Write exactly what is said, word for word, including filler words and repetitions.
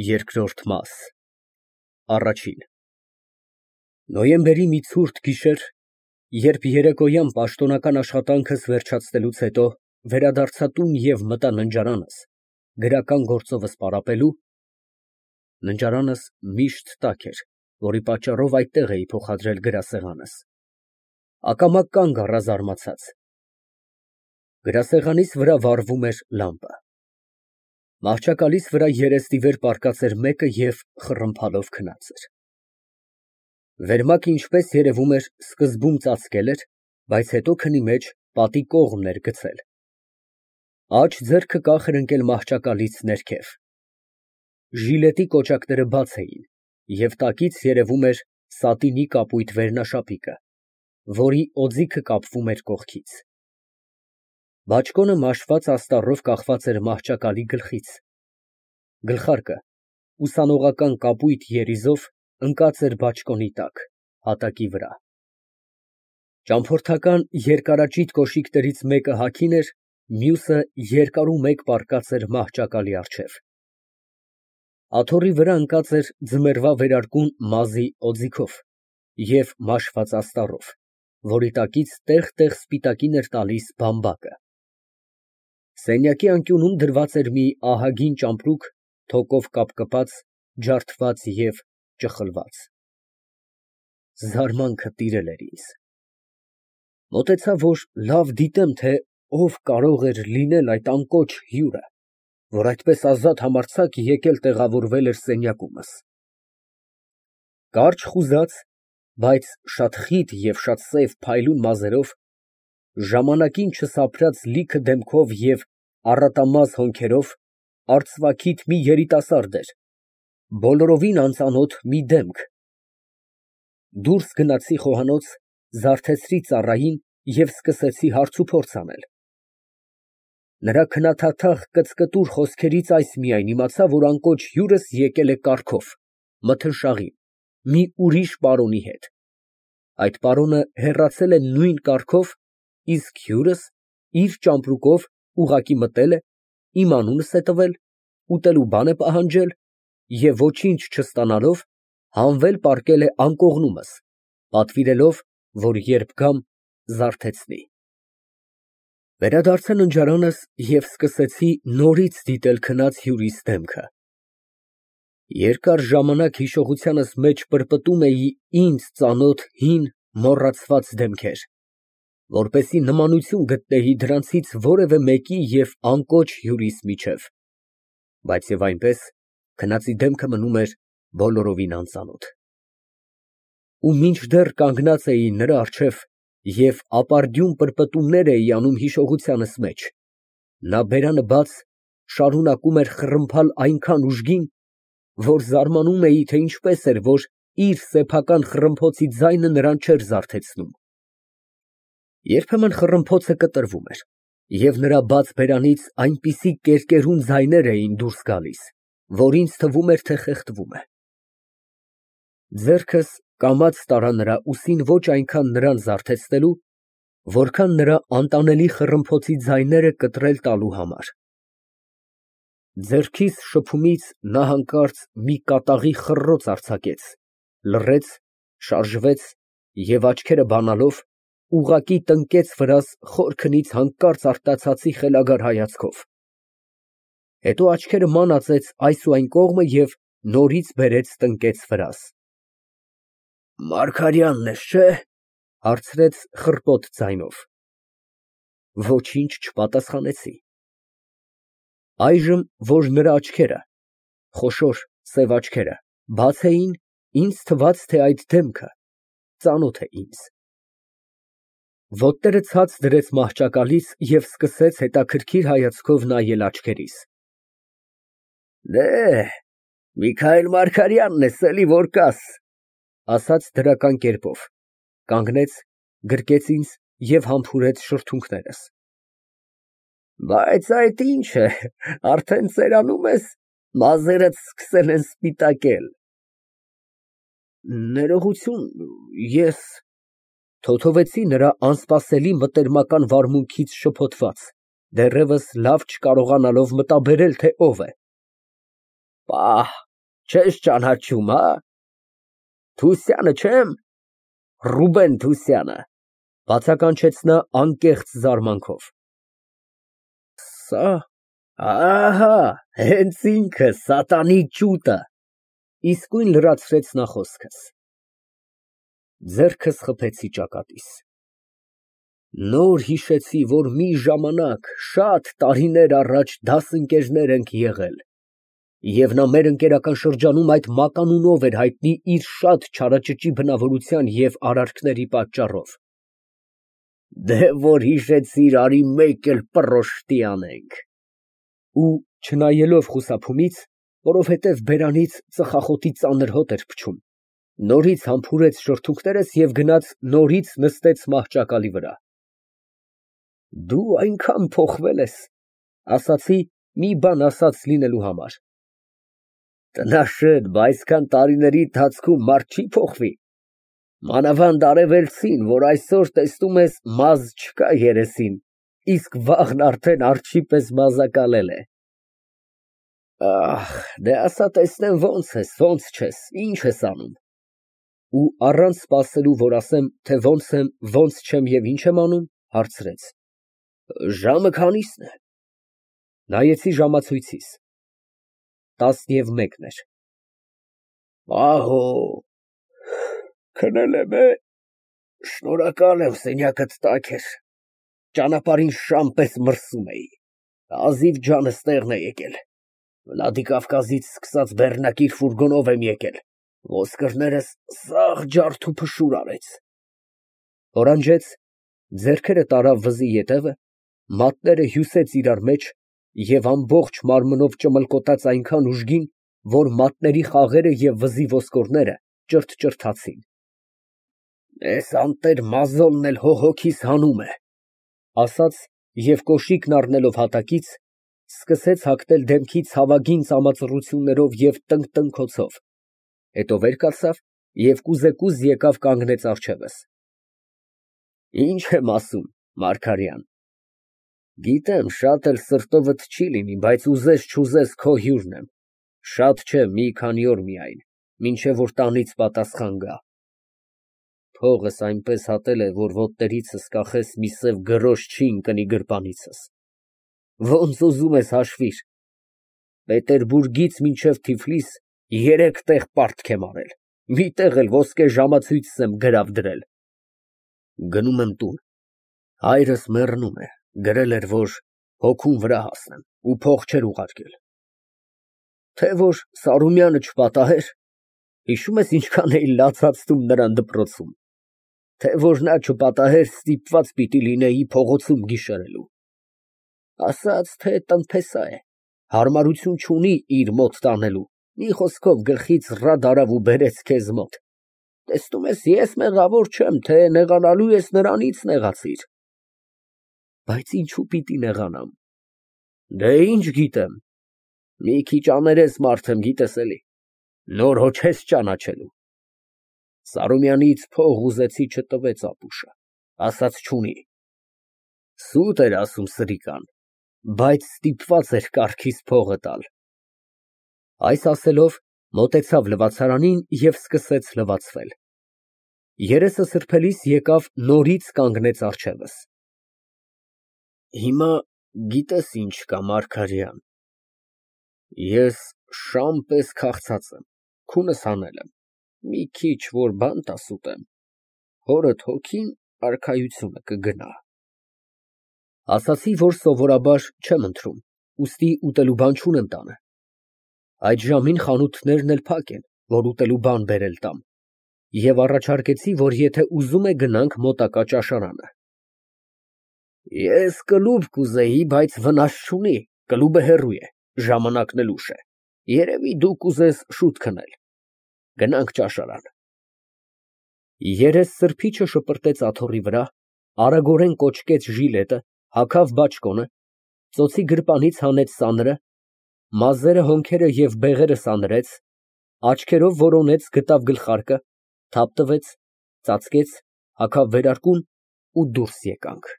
Երկրորդ մաս Առաջին Նոյեմբերի մի ցուրտ գիշեր, երբ երեկոյան պաշտոնական աշխատանքս վերջացնելուց հետո վերադարձա տուն և մտա ննջարանս գրական գործովս պարապելու (ննջարանս միշտ տաք էր, որի պատճառով այդտեղ էի փոխադրել գրասեղանս), ակամա կանգ առա զարմացած. գրասեղանիս վրա վառվում էր լամպը, մահճակալիս վրա երեսնիվեր պառկած էր մեկը և խռմփալով քնած էր, վերմակը, ինչպես երևում էր, սկզբում ծածկել էր, բայց հետո քնի մեջ պատի կողմն էր գցել, աջ ձեռքը կախ էր ընկել մահճակալից ներքև, ժիլետի կոճակները բաց էին և տակից երևում էր սատինի կապույտ վերնաշապիկը, որի օձիքը կապվում էր կողքից, բաճկոնը մաշված աստառով կախված էր մահճակալի գլխից, գլխարկը ուսանողական կապույտ երիզով ընկած էր բաճկոնի տակ, հատակի վրա, ճամփորդական երկարաճիտ կոշիկներից մեկը հագին էր, մյուսը երկարումեկ պառկած էր մահճակալի առջև, աթոռի վրա ընկած էր ձմեռվա վերարկուն մազի օձիքով և մաշված աստառով, որի տակից տեղ֊տեղ սպիտակին էր տալիս բամբակը, սենյակի անկյունում դրված էր մի ահագին ճամպրուկ, թոկով կապկպած, ջարդված և ճխլված, զարմանքը տիրել էր ինձ, մոտեցա, որ լավ դիտեմ, թե ով կարող էր լինել այդ անկոչ հյուրը, որ այդպես ազատ համարձակ եկել տեղավորվել էր սենյակումս, կարճ խուզած, բայց շատ խիտ և շատ սև փայլուն մազերով, ժամանակին չսափրած լիքը դեմքով և առատամազ հոնքերով, արծվաքիթ մի երիտասարդ էր, բոլորովին անծանոթ մի դեմք, դուրս գնացի խոհանոց, զարթեցրի ծառային և սկսեցի հարցուփորձ անել, նրա քնաթաթախ կծկտուր խոսքերից այս միայն իմացա, որ անկոչ հյուրս եկել է կառքով, մթնշաղի, մի ուրիշ պարոնի հետ, այդ պարոնը հեռացել է նույն կառքով, իսկ հյուրս իր ճամպրուկով ուղղակի մտել է, իմ անունս է տվել, ուտելու բան է պահանջել և ոչինչ չստանալով, հանվել պառկել է անկողնումս, պատվիրելով, որ երբ գամ, զարթեցնի, վերադարձա ննջարանս և սկսեցի նորից դիտել քնած հյուրիս դեմքը, երկար ժամանակ հիշողությանս մեջ պրպտում էի ինձ ծանոթ հին, մոռացված դեմքեր, որպեսզի նմանություն գտնեի դրանցից որևէ մեկի և անկոչ հյուրիս միջև, բայց և այնպես, քնածի դեմքը մնում էր բոլորովին անծանոթ, ու մինչդեռ կանգնած էի նրա առջև և ապարդյուն պրպտումներ էի անում հիշողությանս մեջ, նա բերանը բաց, շարունակում էր խռմփալ այնքան ուժգին, որ զարմանում էի, թե ինչպես էր, որ իր սեփական խռմփոցի ձայնը նրան չէր զարթեցնում, երբեմն խռմփոցը կտրվում էր և նրա բաց բերանից այնպիսի կերկերուն ձայներ էին դուրս գալիս, որ ինձ թվում էր, թե խեղդվում է, ձեռքս կամաց տարա նրա ուսին ոչ այնքան նրան զարթեցնելու, որքան նրա անտանելի խռմփոցի ձայները կտրել տալու համար, ձեռքիս շփումից նա հանկարծ մի կատաղի խռռոց արձակեց, լռեց, շարժվեց և աչքերը բանալով, ուղղակի տնկեց վրաս խոր քնից հանկարծ արտացածի խելագար հայացքով, հետո աչքերը ման ածեց այս ու այն կողմը և նորից բերեց տնկեց վրաս, Մարգարյանն ես, չէ՞, հարցրեց խռպոտ ձայնով, ոչինչ չպատասխանեցի, այժմ, որ նրա աչքերը, խոշոր սև աչքերը, բաց էին, ինձ թվաց, թե այդ դեմքը ծանոթ է ինձ, ոտները ցած դրեց մահճակալից և սկսեց հետաքրքիր հայացքով նայել աչքերիս, դեհ, Միքայել Մարգարյանն ես, էլի որ կաս, ասաց դրական կերպով, կանգնեց, գրկեց ինձ և համբուրեց շրթունքներս, բայց այդ ի՞նչ է, արդեն ծերանում ես, մազերդ սկսել են սպիտակել, ներողություն, ես… թոթվեցի նրա անսպասելի մտերմական վարմունքից շփոթված, դեռևս լավ չկարողանալով մտաբերել, թե ով է, Պահ, չես ճանաչում, հա՞։ Թուսյանը չեմ, Ռուբեն Թուսյանը, բացականչեց նա անկեղծ զարմանքով։ Սա, ահա, հենց ինքը, սատանի ճուտը, իսկույն լրացրեց նա խոսքս։ Ձեռքս խփեցի ճակատիս։ Նոր հիշեցի, որ մի ժամանակ, շատ տարիներ առաջ դասընկերներ ենք եղել, և նա մեր ընկերական շրջանում այդ մականունով էր հայտնի իր շատ չարաճճի բնավորության և արարքների պատճառով։ Դե որ հիշեցիր, արի մեկ էլ պռոշտի անենք։ Ու չնայելով խուսափումից, որովհետև բերանից ծխախոտի ծանր հոտ էր փչում, նորից համբուրեց շրթունքներս և գնաց նորից նստեց մահճակալի վրա։ Դու այնքան փոխվել ես, ասացի մի բան ասած լինելու համար։ Տնաշեն, բա այսքան տարիների ընթացքում մարդ չի փոխվի։ Մանավանդ արևելցին, որ այսօր տեսնում ես մազ չկա երեսին, իսկ վաղն արդեն արջի պես մազակալել է։ Ախ, դե ասա տեսնեմ ոնց ես, ոնց չես, ինչ ես անում։ Ու առանց սպասելու, որ ասեմ, թե ոնց եմ, ոնց չեմ և ինչ եմ անում, հարցրեց. Ժամը քանի՞սն է։ Նայեցի ժամացույցիս։ Տասնևմեկն էր։ Ահո, քնել եմ, է, շնորհակալ եմ, սենյակդ տաք էր, ճանապարհին շամ պես մրսում էի, հազիվ ջանս տեղն է եկել, Վլադիկավկազից սկսած բեռնակիր ֆուրգոնով եմ եկել, ոսկրներս սաղ ջարդ ու փշուր արեց։ Օրանջեց, ձեռքերը տարավ վզի ետևը, մատները հյուսեց իրար մեջ և ամբողջ մարմնով ճմլկոտաց այնքան ուժգին, որ մատների խաղերը և վզի ոսկորները ճրթճրթացին։ Էս անտեր մազոնն էլ հոգիս հանում է, ասաց և կոշիկն առնելով հատակից, սկսեց հագնել դեմքի ցավագին ծամածռություններով և տնկտնքոցով, հետո վեր կացավ և կուզեկուզ եկավ կանգնեց առջևս։ Ինչ եմ ասում, Մարգարյան, գիտեմ, շատ էլ սրտովդ չի լինի, բայց ուզես չուզես քո հյուրն եմ, շատ չէ, մի քանի օր միայն, մինչև որ տանից պատասխան գա։ Փողս այնպես հատել է, որ ոտներիցս կախես մի սև գրոշ չի ընկնի գրպանիցս։ Ոնց ուզում ես հաշվիր, Պետերբուրգից մինչև Թիֆլիս երեք տեղ պարտք եմ արել, մի տեղ էլ ոսկե ժամացույցս եմ գրավ դրել։ Գնում եմ տուն, հայրս մեռնում է, գրել էր, որ հոգուն վրա հասնեմ ու փող չէր ուղարկել։ Թե որ Սարոմյանը չպատահեր, հիշում ես ինչքան էի լացացնում նրան դպրոցում, թե որ նա չպատահեր, ստիպված պիտի լինեի փողոցում գիշերելու։ Ասաց, թե տնտեսա է, հարմարություն չունի իր մոտ տանելու, մի խոսքով գլխից ռադ արավ ու բերեց քեզ մոտ։ Տեսնում ես, ես մեղավոր չեմ, թե նեղանալու ես նրանից նեղացիր։ Բայց ինչու պիտի նեղանամ։ Դե ինչ գիտեմ, մի քիչ աներես մարդ եմ, գիտես էլի, նոր հո չես ճանաչելու։ Սարոմյանից փող ուզեցի, չտվեց ապուշը, ասաց չունի։ Սուտ էր ասում սրիկան, բայց ստիպված էր կառքից փողը տալ։ Այս ասելով մոտեցավ լվացարանին և սկսեց լվացվել։ Երեսը սրբելիս եկավ նորից կանգնեց առջևս։ Հիմա գիտես ինչ կա, Մարգարյան, ես շամ պես քաղցած եմ, քունս հանել եմ, մի քիչ որ բան տաս ուտեմ, հորդ հոգին արքայությունը կգնա։ Ասացի, որ սովորաբար չեմ ընթրում, ուստի ուտելու բան չունեմ տանը։ Այդ ժամին խանութներն էլ փակ են, որ ուտելու բան բերել տամ, և առաջարկեցի, որ եթե ուզում է գնանք մոտակա ճաշարանը։ Ես կլուբ կուզեի, բայց վնաս չունի, կլուբը հեռու է, ժամանակն էլ ուշ է, երևի դու կուզես շուտ քնել։ Գնանք ճաշարան։ Երես սրբիչը շպրտեց աթոռի վրա, արագորեն կոճկեց ժիլետը, հագավ բաճկոնը, ծոցի գրպանից հանեց սանրը, մազերը, հոնքերը և բեղերը սանրեց, աչքերով որոնեց, գտավ գլխարկը, թափ տվեց, ծածկեց, հագավ վերարկուն ու դուրս եկանք։